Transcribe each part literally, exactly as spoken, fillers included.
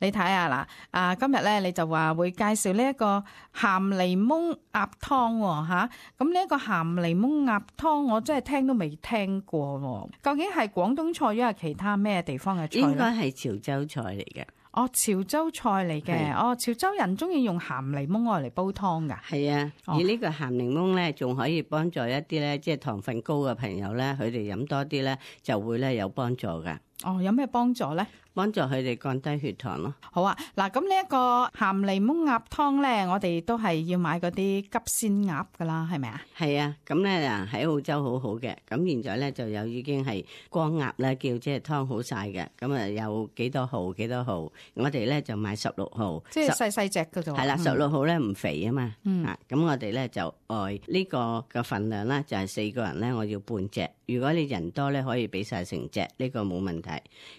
你睇下嗱，啊今日咧你就話會介紹呢一個鹹檸檬鴨湯喎嚇，咁呢一個鹹檸檬鴨湯我真係聽都未聽過喎，究竟係廣東菜抑係其他咩地方嘅菜咧？應該係潮州菜嚟嘅。哦，潮州菜嚟嘅，哦，潮州人中意用鹹檸檬愛嚟煲湯噶。係啊，哦、而呢個鹹檸檬咧，仲可以幫助一啲咧，即係糖分高嘅朋友咧，佢哋飲多啲咧，就會咧有幫助噶。哦，有咩幫助咧？幫助佢哋降低血糖咯。好啊，嗱，咁呢一個鹹檸檬鴨湯咧，我哋都係要買嗰啲急鮮鴨噶啦，係咪啊？係啊，咁咧嗱喺澳洲好好嘅，咁現在咧就有已經係光鴨咧，叫即係湯好晒嘅，咁啊有幾多號幾多號，我哋咧就買十六號，即係細細隻嘅啫。係啦，十六號咧唔肥啊嘛，嗯、啊，咁我哋咧就愛呢個嘅份量咧就係四個人咧，我要半隻。如果你人多咧，可以俾晒成隻，呢個冇問題。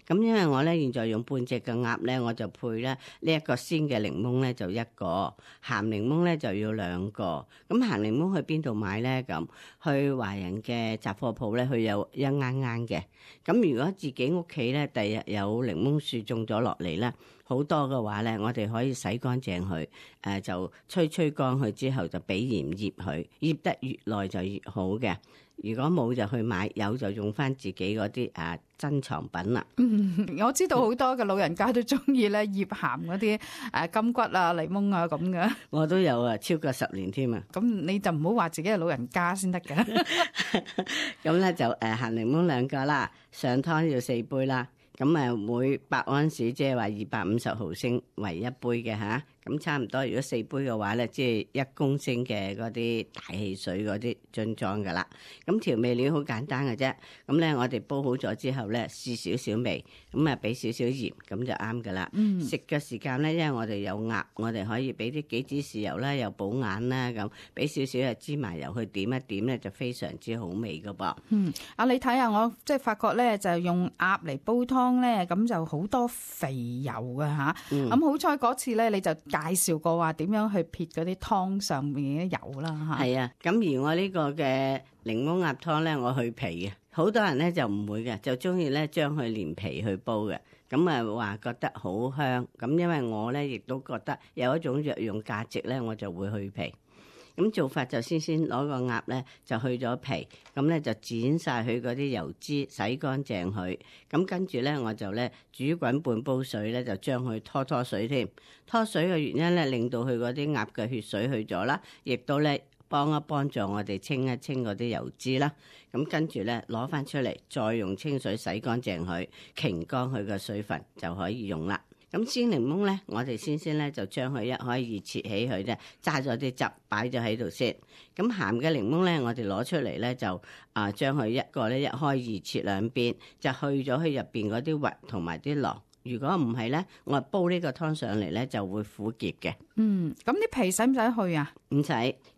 咁因為我咧現在用半隻嘅鴨咧，我就配咧呢一個鮮嘅檸檬咧就一個，鹹檸檬咧就要兩個。咁鹹檸檬去邊度買咧？咁去華人嘅雜貨鋪咧，佢有一啱啱嘅。咁如果自己屋企咧，第日有檸檬樹種咗落嚟咧，好多嘅話咧，我哋可以洗乾淨佢，誒、呃、就吹吹乾佢之後就俾鹽醃佢，醃得越耐就越好嘅。如果冇就去買，有就用翻自己嗰啲啊珍藏品啦。嗯，我知道好多嘅老人家都中意咧醃鹹嗰啲誒金桔啊、檸檬啊咁嘅。我都有啊，超過十年添啊。咁你就唔好話自己係老人家先得嘅。咁咧就誒鹹檸檬兩個啦，上湯要四杯啦。咁誒每百安士即係話二百五十毫升為一杯嘅吓。咁差唔多，如果四杯嘅話咧，即係一公升嘅嗰啲大汽水嗰啲樽裝噶啦。咁調味料好簡單嘅啫。咁咧我哋煲好咗之後咧，試少少味，咁啊俾少少鹽，咁就啱噶啦。食嘅、嗯、時間咧，因為我哋有鴨，我哋可以俾啲杞子豉油啦，又補眼啦，咁俾少少嘅芝麻油去點一點咧，就非常之好味噶噃。嗯，啊你睇下我即係發覺咧，就用鴨嚟煲湯咧，咁就好多肥油㗎吓。咁、嗯、好彩嗰次咧，你就介紹過話點樣去撇嗰啲湯上面嘅油啦嚇。係啊，咁而我呢個嘅檸檬鴨湯咧，我去皮嘅，好多人咧就唔會嘅，就中意咧將佢連皮去煲嘅，咁啊話覺得好香。咁因為我咧亦都覺得有一種藥用價值咧，我就會去皮。咁做法就先先攞個鴨咧就去咗皮，咁咧就剪晒佢嗰啲油脂，洗乾淨佢。咁跟住咧我就咧煮滾半煲水咧，就將佢拖拖水添。拖水嘅原因咧，令到佢嗰啲鴨嘅血水去咗啦，亦都咧幫一幫助我哋清一清嗰啲油脂啦。咁跟住咧攞翻出嚟，再用清水洗乾淨佢，擎乾佢嘅水分就可以用啦。咁鮮檸檬咧，我哋先先咧就將佢一開二切起佢啫，揸咗啲汁擺咗喺度先。咁鹹嘅檸檬咧，我哋攞出嚟咧就啊將佢一個咧一開二切兩邊，就去咗佢入邊嗰啲核同埋啲囊。如果唔係咧，我煲呢個湯上嚟咧就會苦澀嘅。嗯，咁啲皮使唔使去啊？唔使。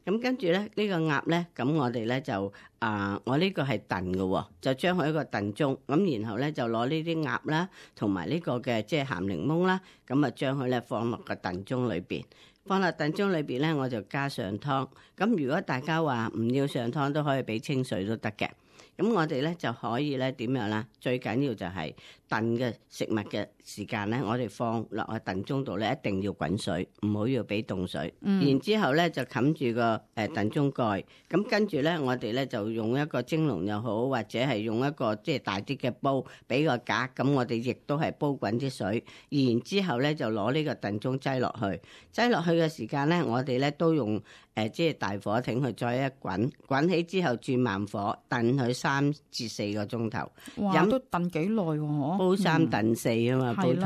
咁跟住咧呢、呢個鴨咧，咁我哋咧就啊、呃，我呢個係燉嘅，就將佢一個燉盅。咁然後咧就攞呢啲鴨啦，同埋呢個嘅即係鹹檸檬啦，咁啊將佢咧放落個燉盅裏邊。放落燉盅裏邊咧，我就加上湯。咁如果大家話唔要上湯，都可以俾清水都得嘅。咁我哋咧就可以咧點樣啦？最緊要就係燉嘅食物嘅時間咧，我哋放落去燉盅度咧，一定要滾水，唔好要俾凍水。嗯、然之後咧就冚住個誒燉盅蓋。咁跟住咧，我哋咧就用一個蒸籠又好，或者係用一個即係大啲嘅煲，俾個格。咁我哋亦都係煲滾啲水。然之後咧就攞呢個燉盅擠落去，擠落去嘅時間咧，我哋咧都用誒即係大火挺佢再一滾，滾起之後轉慢火燉佢三至四個鐘頭。哇，飲都燉幾耐喎？煲三燉四啊嘛，煲湯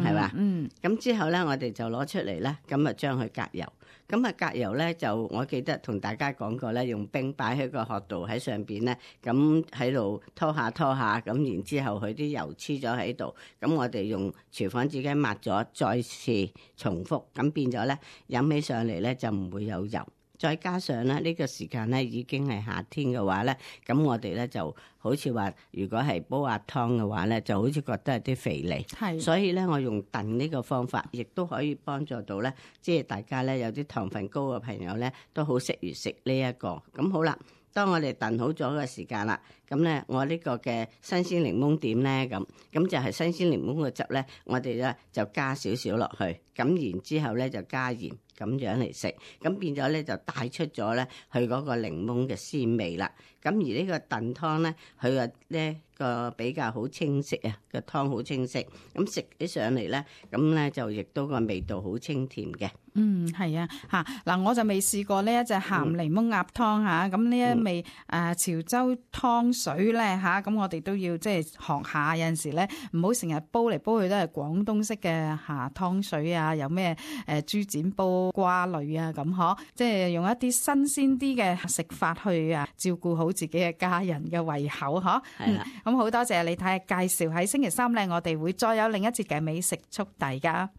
係嘛？嗯，咁之後咧，我哋就攞出嚟咧，咁啊將佢隔油。咁啊隔油咧就我記得同大家講過咧，用冰擺喺個殼度喺上邊咧，咁喺度拖下拖下，咁然之後佢啲油黐咗喺度，咁我哋用廚房紙巾抹咗，再次重複，咁變咗咧飲起上嚟咧就唔會有油。再加上咧呢個時間咧已經係夏天嘅話咧，咁我哋咧就好似話，如果係煲鴨湯嘅話咧，就好似覺得係啲肥膩。係，所以咧我用燉呢個方法，亦都可以幫助到咧，即係大家咧有啲糖分高嘅朋友咧，都好適宜食呢一個。咁好啦。當我哋燉好咗嘅時間啦，咁咧我呢個嘅新鮮檸檬點咧？咁咁就係新鮮檸檬嘅汁咧，我哋咧就加少少落去，咁然之後咧就加鹽。咁樣嚟食，咁變咗咧就帶出咗咧佢嗰個檸檬嘅鮮味啦。咁而呢個燉湯咧，佢個呢個比較好清晰啊，個湯好清晰。咁食起上嚟咧，咁咧就亦都個味道好清甜嘅。嗯，係啊，嚇嗱，我就未試過呢一隻鹹檸檬鴨湯嚇，咁呢、嗯、一味誒、呃、潮州湯水咧嚇，咁、啊、我哋都要即係學下，有陣時咧唔好成日煲嚟煲去都係廣東式嘅嚇湯水啊，有咩誒豬展煲瓜類啊咁嗬，即係用一啲新鮮啲嘅食法去啊照顧好自己嘅家人嘅胃口嗬。係啦，咁好多謝李太介紹，喺星期三咧，我哋會再有另一節嘅美食速遞㗎。